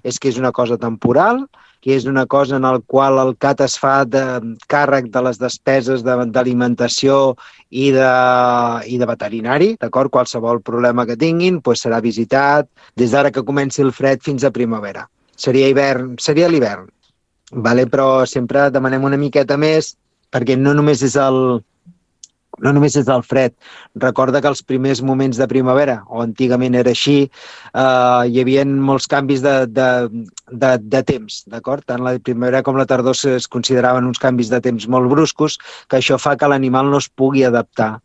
és que és una cosa temporal, que és una cosa en la qual el CAT es fa de càrrec de les despeses d'alimentació i de veterinari, d'acord? Qualsevol problema que tinguin serà visitat des d'ara que comenci el fred fins a primavera. Seria l'hivern, vale? Però sempre demanem una miqueta més perquè no només és el fred. Recorda que els primers moments de primavera, o antigament era així, hi havia molts canvis de temps, d'acord? Tant la primavera com la tardor es consideraven uns canvis de temps molt bruscos, que això fa que l'animal no es pugui adaptar